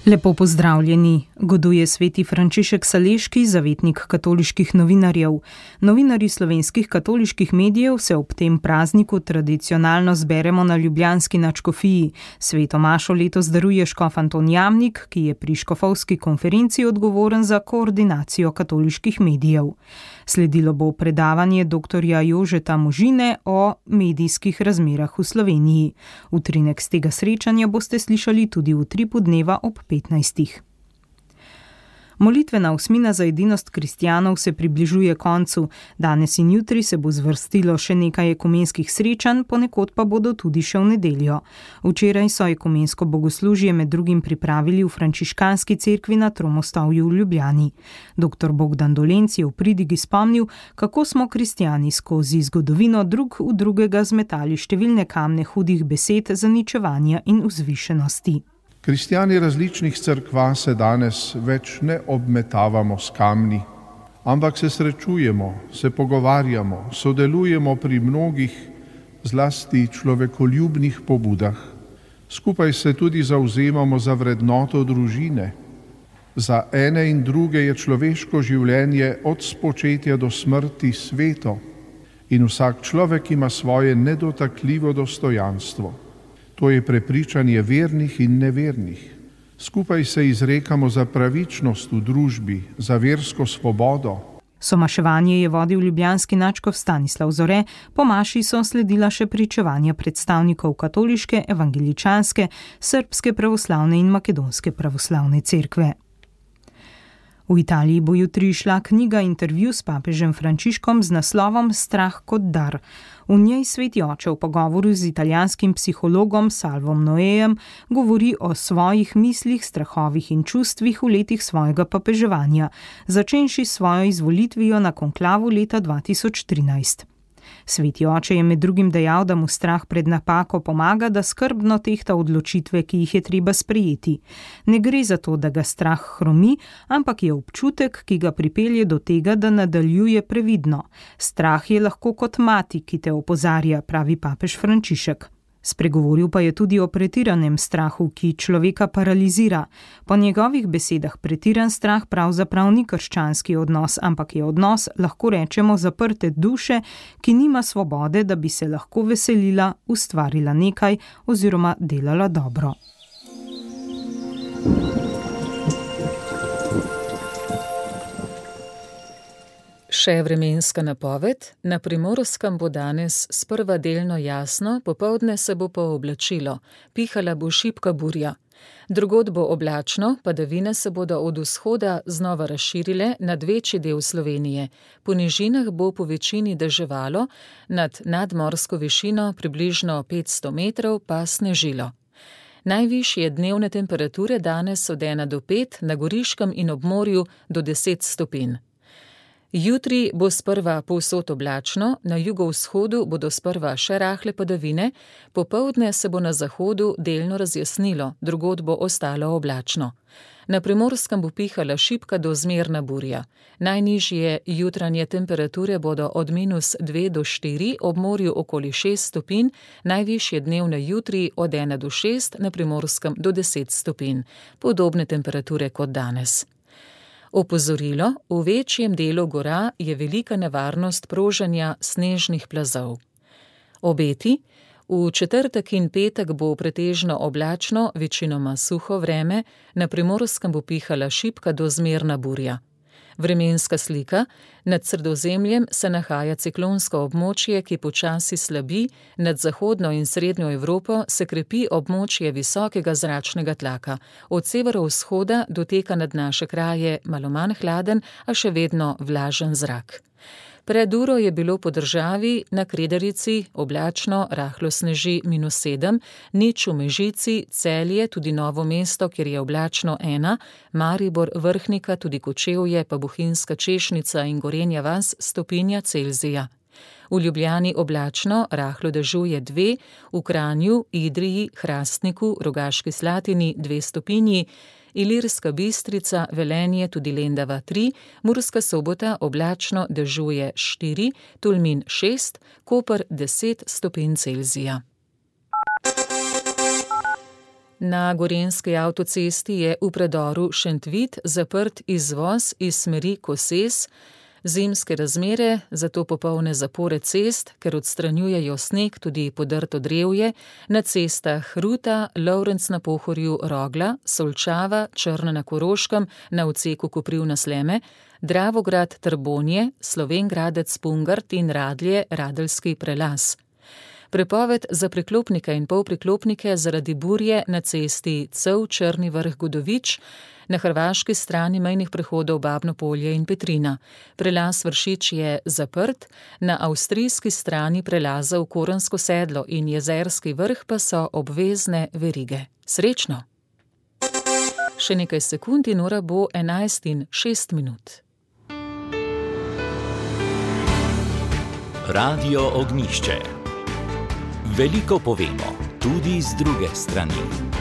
Lepo pozdravljeni, goduje sveti Frančišek Saleški, zavetnik katoliških novinarjev. Novinarji slovenskih katoliških medijev se ob tem prazniku tradicionalno zberemo na ljubljanski nadškofiji. Sveto mašo letos daruje škof Anton Jamnik, ki je pri škofovski konferenci odgovoren za koordinacijo katoliških medijev. Sledilo bo predavanje dr. Jožeta Možine o medijskih razmerah v Sloveniji. Utrinek z tega srečanja boste slišali tudi v Utripu dneva ob 15. Molitvena osmina za edinost kristjanov se približuje koncu. Danes in jutri se bo zvrstilo še nekaj ekumenskih srečanj, ponekod pa bodo tudi še v nedeljo. Včeraj so ekumensko bogoslužje med drugim pripravili v frančiškanski cerkvi na Tromostovju v Ljubljani. Dr. Bogdan Dolenc je v pridigi spomnil, kako smo kristjani skozi zgodovino drug v drugega zmetali številne kamne hudih besed, zaničevanja in vzvišenosti. Kristjani različnih cerkva se danes več ne obmetavamo s kamni, ampak se srečujemo, se pogovarjamo, sodelujemo pri mnogih, zlasti človekoljubnih pobudah. Skupaj se tudi zavzemamo za vrednoto družine. Za ene in druge je človeško življenje od spočetja do smrti sveto in vsak človek ima svoje nedotakljivo dostojanstvo. To je prepričanje vernih in nevernih. Skupaj se izrekamo za pravičnost v družbi, za versko svobodo. Somaševanje je vodil ljubljanski nadškof Stanislav Zore, po maši so sledila še pričevanja predstavnikov katoliške, evangeličanske, srbske pravoslavne in makedonske pravoslavne cerkve. V Italiji bo jutri šla knjiga Intervju s papežem Frančiškom z naslovom Strah kot dar. V njej sveti oče v pogovoru z italijanskim psihologom Salvom Noejem govori o svojih mislih, strahovih in čustvih v letih svojega papeževanja, začenši s svojo izvolitvijo na konklavu leta 2013. Sveti oče je med drugim dejal, da mu strah pred napako pomaga, da skrbno tehta odločitve, ki jih je treba sprejeti. Ne gre za to, da ga strah hromi, ampak je občutek, ki ga pripelje do tega, da nadaljuje previdno. Strah je lahko kot mati, ki te opozarja, pravi papež Frančišek. Spregovoril pa je tudi o pretiranem strahu, ki človeka paralizira. Po njegovih besedah pretiran strah pravzaprav ni krščanski odnos, ampak je odnos, lahko rečemo, zaprte duše, ki nima svobode, da bi se lahko veselila, ustvarila nekaj oziroma delala dobro. Še vremenska napoved. Na Primorskem bo danes sprva delno jasno, popoldne se bo pooblačilo, pihala bo šibka burja. Drugod bo oblačno, padavine se bodo od vzhoda znova razširile nad večji del Slovenije. Po nižinah bo po večini deževalo, nad nadmorsko višino približno 500 metrov pa snežilo. Najvišje dnevne temperature danes od 1 do 5, na Goriškem in ob morju do 10 stopinj. Jutri bo sprva povsod oblačno, na jugovzhodu bodo sprva še rahle padavine, popoldne se bo na zahodu delno razjasnilo, drugod bo ostalo oblačno. Na Primorskem bo pihala šibka do zmerna burja. Najnižje jutranje temperature bodo od -2 do 4, ob morju okoli 6 stopinj, najvišje dnevne jutri od 1 do 6, na Primorskem do 10 stopinj. Podobne temperature kot danes. Opozorilo, v večjem delu gora je velika nevarnost proženja snežnih plazov. Obeti. V četrtek in petek bo pretežno oblačno, večinoma suho vreme, na Primorskem bo pihala šibka do zmerna burja. Vremenska slika. Nad Sredozemljem se nahaja ciklonsko območje, ki počasi slabi, nad zahodno in srednjo Evropo se krepi območje visokega zračnega tlaka. Od severovzhoda doteka nad naše kraje malo manj hladen, a še vedno vlažen zrak. Pred uro je bilo po državi na Kredarici oblačno, rahlo sneži -7, nič v Mežici, Celje, tudi Novo mesto, kjer je oblačno 1, Maribor, Vrhnika, tudi Kočevje, pa Bohinjska Češnica in Gorenja vas stopinja Celzija. V Ljubljani oblačno, rahlo dežuje 2, v Kranju, Idriji, Hrastniku, Rogaški Slatini 2 stopinji, Ilirska Bistrica, Velenje, tudi Lendava 3, Murska Sobota oblačno dežuje 4, Tolmin 6, Koper 10 stopinj Celzija. Na gorenjski avtocesti je v predoru Šentvid zaprt izvoz iz smeri Koses. Zimske razmere, zato popolne zapore cest, ker odstranjujejo sneg, tudi podrto drevje, na cestah Ruta, Lovrenc na Pohorju, Rogla, Solčava, Črna na Koroškem, na odseku Koprivna-Sleme, Dravograd, Trbonje, Slovenj Gradec, Pungart in Radlje, Radeljski prelaz. Prepoved za priklopnike in polpriklopnike zaradi burje na cesti Cev-Črni Vrh-Godovič, na hrvaški strani mejnih prehodov Babno Polje in Petrina. Prelaz Vršič je zaprt, na avstrijski strani prelaza v Korensko sedlo in Jezerski vrh pa so obvezne verige. Srečno! Še nekaj sekund in ura bo 11:06. Radio Ognjišče. Veliko povemo, tudi z druge strani.